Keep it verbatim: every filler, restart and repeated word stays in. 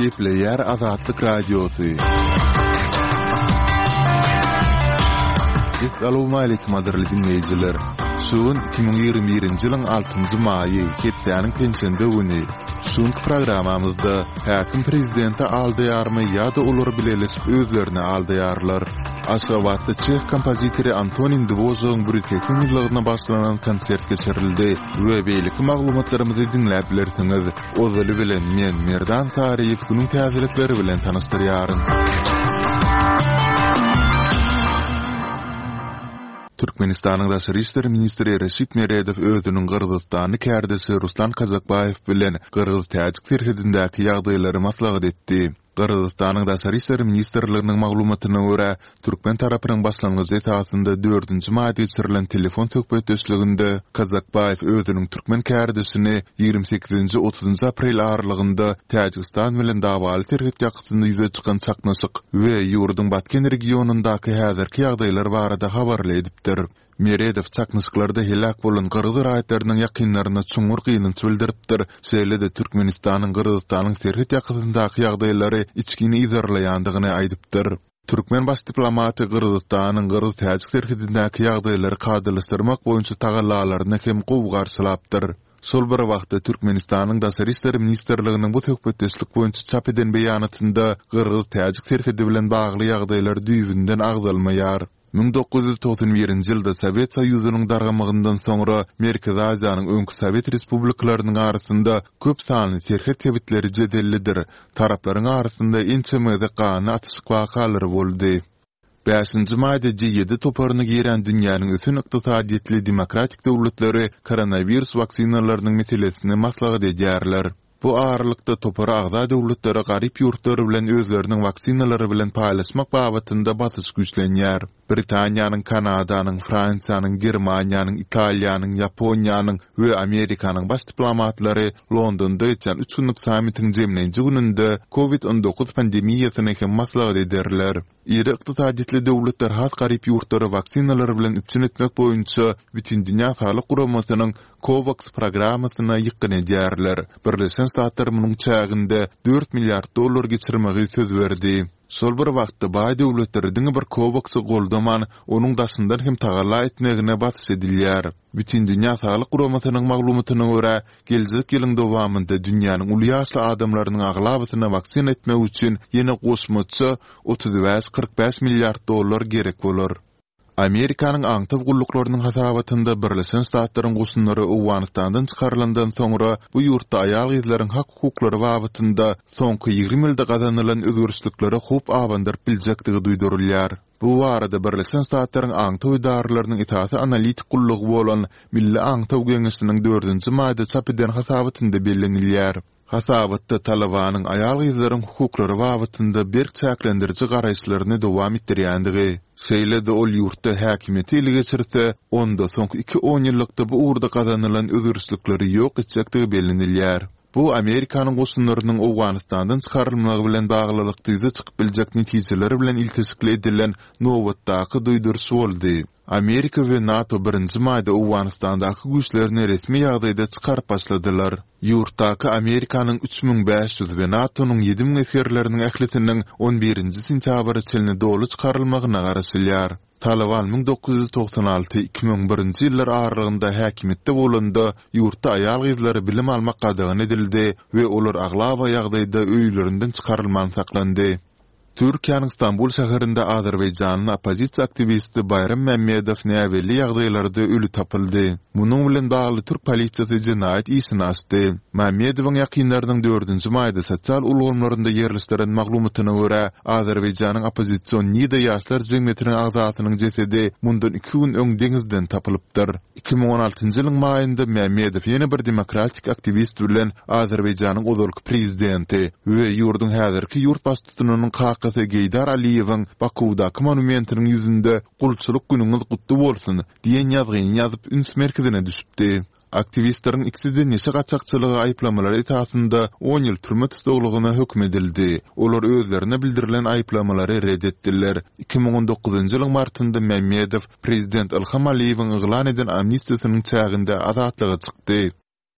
Gepleýär Azatlyk Radiosy. Essalawmaleýkim gadyrly diňleýjiler! Şu gün iki müň ýigrimi birinji ýylyň altynjy maýy, hepdäniň penşenbe güni. Şu günki programmamyzda häkim prezidenti aldaýarmy ýa-da olar bileleşip özlerini aldaýarlar? Aşgabatda çeh kompozitory Antonin Dwožagyň bir ýüz segsen ýyllygyna bagyşlanan konsert geçirildi we beýleki maglumatlarymyzy diňläp bilersiňiz. Ozaly bilen men, Merdan Saryýew günüň täzelikleri bilen tanyşdyrýaryn. Türkmenistanyň Daşary işler ministri Reşit Meredow özüniň gyrgyzystanly kärdeşi Ruslan Kazakbaýew bilen gyrgyz-täjik serhedindäki ýagdaýlary maslahat etdi. Gyrgyzystanyň Daşary işler ministrliginiň maglumatyna görä, türkmen tarapynyň başlangyjy esasynda dördünji maýda geçirilen telefon söhbetdeşliginde Kazakbaýew özüniň türkmen kärdeşini ýigrimi sekizinji-otuzynjy aprel aralygynda Täjigistan bilen dawaly serhet ýakasynda ýüze çykan çaknyşyk we ýurduň Batken regionyndaky häzirki ýagdaýlar barada habarly edipdir. Meredow çaknyşyklarda heläk bolan gyrgyz raýatlarynyň ýakynlaryna çuňňur gynanç bildiripdir, şeýle-de Türkmenistanyň Gyrgyzystanyň serhet ýakasyndaky ýagdaýlary içgin yzarlaýandygyny aýdypdyr. Türkmen baş diplomaty Gyrgyzystanyň gyrgyz-täjik serhedindäki ýagdaýlary kadalaşdyrmak boýunça tagallalaryny hem gowy garşylapdyr. Şol bir wagtda, Türkmenistanyň Daşary işler ministrliginiň bu söhbetdeşlik boýunça çap eden beýanatynda gyrgyz-täjik serhedi bilen bagly ýagdaýlar düýbünden agzalmaýar. Müň dokuz ýüz togsan birinji ýylda Sowet Soýuzynyň dargamagyndan soňra Merkezi Aziýanyň öňki sowet respublikalarynyň arasynda köp sanly serhet sebitleri jedellidir, taraplaryň arasynda ençeme gezek ganly atyşyk wakalary boldy. Bäşinji maýda G ýedi toparyna giren dünýäniň ösen ykdysadyýetli demokratik döwletleri koronawirus waksinalarynyň meselesini maslahat edýärler. Bu aralykda, topara agza döwletlere garyp ýurtlar bilen özleriniň waksinalary bilen paýlaşmak babatynda basyş güýçlenýär. Britaniýanyň, Kanadanyň, Fransiýanyň, Germaniýanyň, Italiýanyň, Ýaponiýanyň we Amerikanyň baş diplomatlary Londonda geçýän üç günlük sammitiň jemleýji gününde Covid on dokuz pandemiýasyny hem maslahat ederler. Iri ykdysadyýetli döwletler has garyp ýurtlary waksinalar bilen üpjün etmek boýunça Bütindünýä Saglyk Guramasynyň COVAX programmasyna ýykgyn edýärler. Birleşen Ştatlar munuň çäginde dört milliard dollar geçirmegi söz berdi. Şol bir wagtda, baý döwletleri diňe bir COVAX-y goldaman, onuň daşyndan hem tagalla etmegine basyş edilýär. Bütindünýä Saglyk Guramasynyň maglumatyna görä, geljek ýylyň dowamynda dünýäniň uly ýaşly adamlarynyň aglabasyna waksina etmek üçin ýene goşmaça otuz bäş-kyrk bäş milliard dollar gerek bolar. Amerikanyň aňtaw gulluklarynyň hasabatynda Birleşen Ştatlaryň goşunlary Owganystandan çykarylandan soňra bu ýurtda aýal-gyzlaryň hak-hukuklary babatynda soňky ýigrimi ýylda gazanylan özgerişliklere howp abandyryp biljekdigi duýdurylýar. Bu barada Birleşen Ştatlaryň aňtaw edaralarynyň esasy analitik gullugy bolan Milli aňtaw geňeşiniň dördünji maýda çap eden hasabatynda bellenilýär. Hasabatda Talybanyň aýal-gyzlaryň hukuklary babatynda berk çäklendiriji garaýyşlaryny dowam etdirýändigi, şeýle-de ol ýurtda häkimiýeti ele geçirse, onda soňky iki onýyllykda bu ugurda gazanylan özgerişlikleri ýok etjekdigi bellenilýär. Bu Amerikanyň goşunlarynyň Owganystandan çykarylmagy bilen baglylykda ýüze çykyp biljek netijeler bilen ilteşikli edilen nobatdaky duýduryş boldy. Amerika we NATO birinji maýda Owganystandaky güýçlerini resmi ýagdaýda çykaryp başladylar. Ýurtdaky Amerikanyň üç müň bäş ýüz we NATO-nyň ýedi müň esgerleriniň ählisiniň on birinji sentýabra çenli doly çykarylmagyna garaşylýar. Talyban müň dokuz ýüz togsan alty, iki müň birinji ýyllar aralygynda häkimiýetde bolanda, ýurtda aýal-gyzlara bilim almak gadagan edildi we olar aglaba ýagdaýda öýlerinden çykarylman saklandy. Türkiýäniň Stambul şäherinde azerbaýjanly oppozisiýa aktiwisti Baýram Mämmedow näbelli ýagdaýlarda öli tapyldy. Munuň bilen bagly türk polisiýasy jenaýat işini açdy. Mämmedowyň ýakynlarynyň dördünji maýda sosial ulgamlarynda ýerleşdiren maglumatyna görä, Azerbaýjanyň oppozision Nida ýaşlar jemgyýetiniň agzasynyň jesedi mundan iki gün öň deňizden tapylypdyr. Iki müň on altynjy ýylyň maýynda Mämmedow ýene bir demokratik aktiwist bilen Azerbaýjanyň ozalky prezidenti we ýurduň häzirki ýurt baştutanynyň kakasy Geýdar Aliýewiň Bakuwdaky monumentiniň ýüzünde Gulçulyk günüňiz gutly bolsun! diýen ýazgyny ýazyp üns merkezine düşüpdi. Aktiwistleriň ikisi-de neşe gaçakçylygy aýyplamalary esasynda on ýyl türme tussaglygyna höküm edildi. Olar özlerine bildirilen aýyplamalary ret etdiler. Iki müň on dokuzynjy ýylyň martynda Mämmedow prezident Ilham Aliýewiň yglan eden amnistiýasynyň çäginde azatlyga çykdy.